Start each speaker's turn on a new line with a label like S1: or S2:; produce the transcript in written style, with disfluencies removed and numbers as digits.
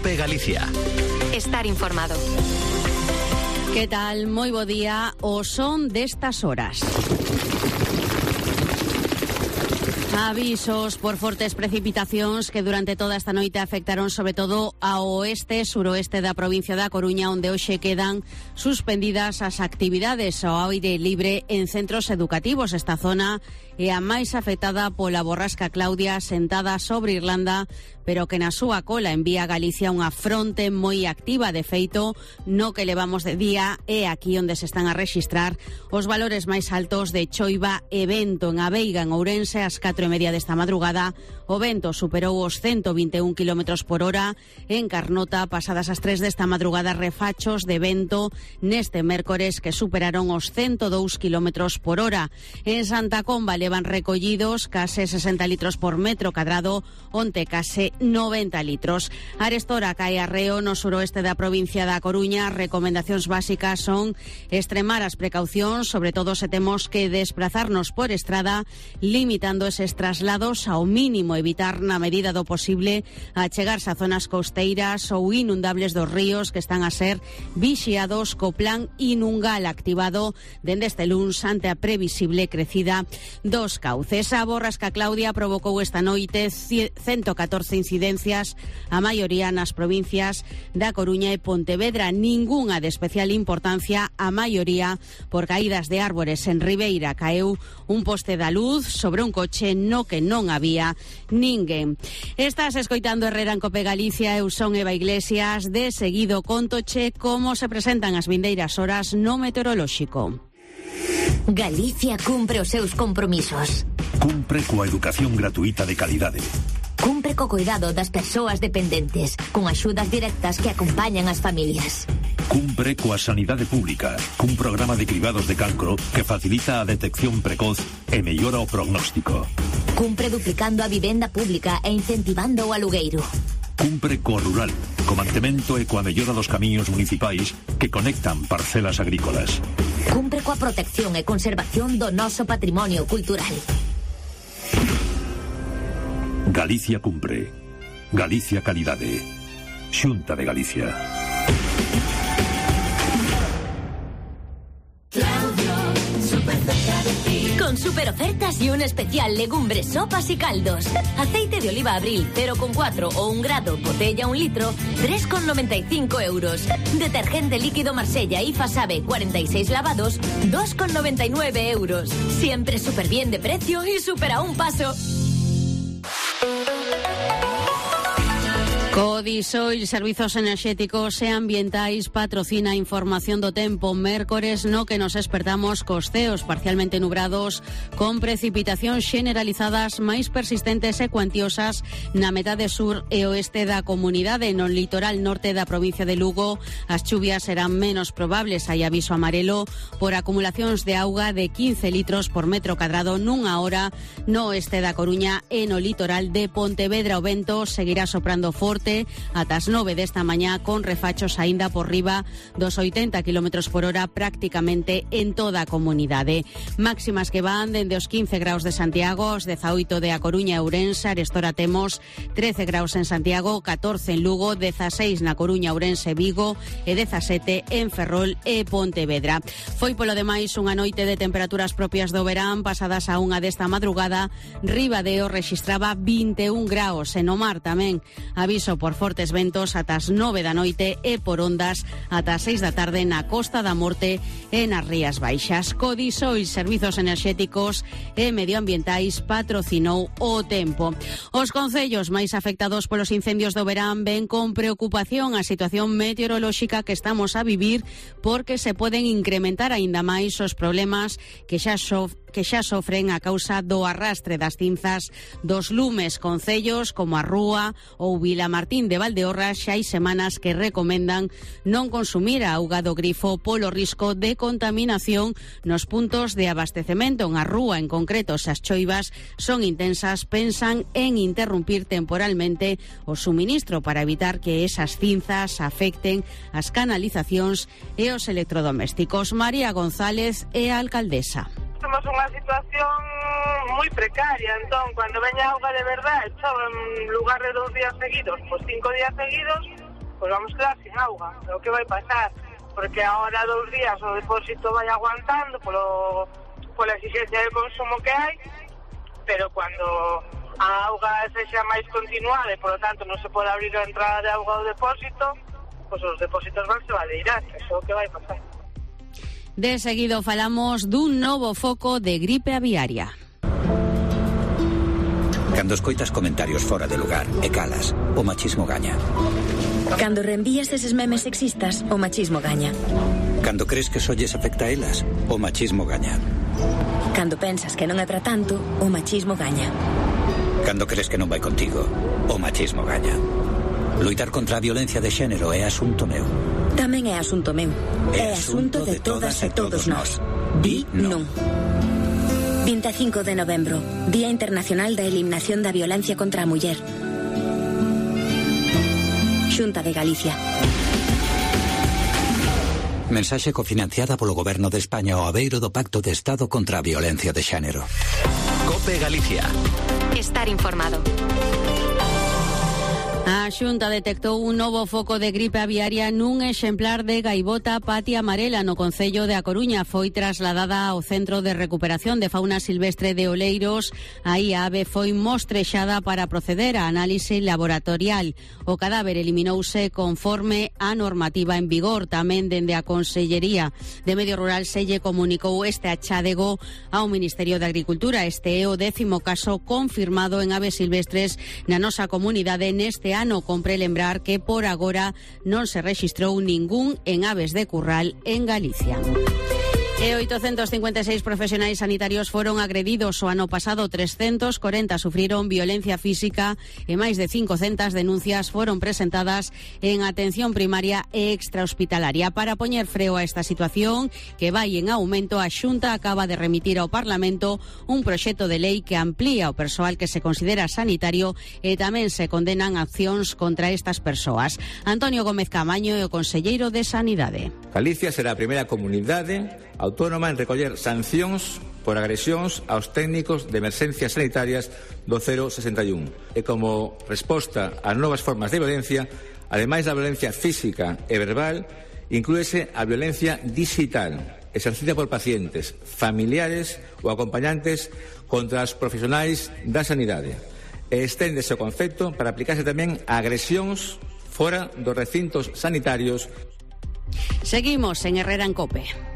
S1: COPE Galicia.
S2: Estar informado.
S3: Que tal? Moi bo día. O son destas horas. Avisos por fortes precipitacións que durante toda esta noite afectaron sobre todo ao oeste e suroeste da provincia da Coruña, onde hoxe quedan suspendidas as actividades ao aire libre en centros educativos. Esta zona é a máis afectada pola borrasca Claudia sentada sobre Irlanda, pero que na súa cola envía a Galicia unha fronte moi activa. De feito, no que levamos de día é aquí onde se están a rexistrar os valores máis altos de choiva e vento. En Aveiga, en Ourense, ás 4:30 desta madrugada, o vento superou os 121 km por hora. En Carnota, pasadas as 3 desta madrugada, refachos de vento neste mércores que superaron os 102 km por hora. En Santa Comba levan recollidos case 60 litros por metro cadrado, onte case 90 litros. Arestora cae arreo no suroeste da provincia da Coruña. Recomendacións básicas son extremar as precaucións, sobre todo se temos que desplazarnos por estrada, limitando eses traslados ao mínimo, evitar na medida do posible achegarse a zonas costeiras ou inundables dos ríos que están a ser vixiados co plan Inungal activado dende este luns ante a previsible crecida dos cauces. A borrasca Claudia provocou esta noite 114 incidencias, a maioría nas provincias da Coruña e Pontevedra. Ningunha de especial importancia, a maioría por caídas de árbores. En Ribeira caeu un poste da luz sobre un coche no que non había ninguén. Estás escoitando Herrera en COPE Galicia. Eu son Eva Iglesias. De seguido contoche como se presentan as vindeiras horas no meteorolóxico.
S4: Galicia cumpre os seus compromisos.
S5: Cumpre coa educación gratuita de calidade.
S4: Cumpre co cuidado das persoas dependentes, con axudas directas que acompañan as familias.
S5: Cumpre coa sanidade pública, cun programa de cribados de cancro que facilita a detección precoz e mellora o prognóstico.
S4: Cumpre duplicando a vivenda pública e incentivando o alugueiro.
S5: Cumpre co rural, co mantemento e coa mellora dos camiños municipais que conectan parcelas agrícolas.
S4: Cumpre coa protección e conservación do noso patrimonio cultural.
S5: Galicia cumpre. Galicia calidade. Xunta de Galicia.
S4: Con super ofertas y un especial legumbres, sopas y caldos. Aceite de oliva Abril 0,4 o 1 grado, botella 1 litro, 3,95 euros. Detergente líquido Marsella y Fasabe 46 lavados, 2,99 euros. Siempre súper bien de precio y súper a un paso.
S3: Codisoil, Servizos Enerxéticos e Ambientais, patrocina a información do tempo. Mércores no que nos espertamos cos ceos parcialmente nubrados, con precipitacións generalizadas máis persistentes e cuantiosas na metade sur e oeste da comunidade. No litoral norte da provincia de Lugo, as chuvias serán menos probables. Hai aviso amarelo por acumulacións de auga de 15 litros por metro cadrado nunha hora no oeste da Coruña e no litoral de Pontevedra. O vento seguirá soprando forte ata as 9 desta mañá, con refachos aínda por riba dos 80 km por hora prácticamente en toda a comunidade. Máximas que van dende os 15 graus de Santiago, os 18 de A Coruña e Ourense. Arestora temos 13 graus en Santiago, 14 en Lugo, 16 na Coruña, Ourense, Vigo e 17 en Ferrol e Pontevedra. Foi polo demais unha noite de temperaturas propias do verán. Pasadas a 1 desta madrugada, Ribadeo rexistraba 21 graus e no mar tamén. Aviso por fortes ventos ata as 9 da noite e por ondas ata as 6 da tarde na Costa da Morte e nas Rías Baixas. Codisoil, Servizos Enerxéticos e Medioambientais, patrocinou o tempo. Os concellos máis afectados polos incendios do verán ven con preocupación a situación meteorolóxica que estamos a vivir, porque se poden incrementar aínda máis os problemas que xa sofren a causa do arrastre das cinzas dos lumes. Concellos como a Rúa ou Vilamartín de Valdeorras xa hai semanas que recomendan non consumir a auga do grifo polo risco de contaminación nos puntos de abastecemento. En a Rúa, en concreto, se as choivas son intensas, pensan en interrumpir temporalmente o suministro para evitar que esas cinzas afecten as canalizacións e os electrodomésticos. María González é a alcaldesa.
S6: Temos unha situación moi precaria, entón, cando veña auga de verdade, chove en lugar de 2 días seguidos, pois 5 días seguidos, pois vamos quedar sin auga. O que vai pasar? Porque agora 2 días o depósito vai aguantando pola exigencia de consumo que hai, pero cando a auga sexa máis continuada e, por lo tanto, non se pode abrir a entrada de auga ao depósito, pois os depósitos van se valeirar, eso é o que vai pasar.
S3: De seguido falamos dun novo foco de gripe aviaria.
S1: Cando escoitas comentarios fora de lugar e calas, o machismo gaña.
S7: Cando reenvías eses memes sexistas, o machismo gaña.
S1: Cando crees que só lles afecta a elas, o machismo gaña.
S7: Cando pensas que non é para tanto, o machismo gaña.
S1: Cando crees que non vai contigo, o machismo gaña. Loitar contra a violencia de xénero é asunto meu.
S7: Tamén é asunto meu. É asunto de todas e todos nós. Di non. 25 de novembro, Día Internacional da Eliminación da Violencia contra a Muller. Xunta de Galicia.
S1: Mensaxe cofinanciada polo Goberno de España ao abeiro do Pacto de Estado contra a Violencia de Xénero.
S5: COPE Galicia.
S2: Estar informado.
S3: A Xunta detectou un novo foco de gripe aviaria nun exemplar de gaivota patia amarela no concello de A Coruña. Foi trasladada ao Centro de Recuperación de Fauna Silvestre de Oleiros. Aí a ave foi mostrexada para proceder a análise laboratorial. O cadáver eliminouse conforme a normativa en vigor. Tamén dende a Consellería de Medio Rural se lle comunicou este achádego ao Ministerio de Agricultura. Este é o 10º caso confirmado en aves silvestres na nosa comunidade neste ano. Compre lembrar que por agora non se rexistrou ningún en aves de curral en Galicia. E 856 profesionais sanitarios foron agredidos o ano pasado, 340 sufriron violencia física e máis de 500 denuncias foron presentadas en atención primaria e extrahospitalaria. Para poñer freo a esta situación que vai en aumento, a Xunta acaba de remitir ao Parlamento un proxecto de lei que amplía o persoal que se considera sanitario e tamén se condenan accións contra estas persoas. Antonio Gómez Camaño é o conselleiro de Sanidade.
S8: Galicia será a primeira comunidade autónoma en recoller sancións por agresións aos técnicos de emerxencias sanitarias do 061. E como resposta ás novas formas de violencia, ademais da violencia física e verbal, inclúese a violencia digital, exercida por pacientes, familiares ou acompañantes contra os profesionais da sanidade. E esténdese o concepto para aplicarse tamén a agresións fora dos recintos sanitarios.
S3: Seguimos en Herrera en COPE.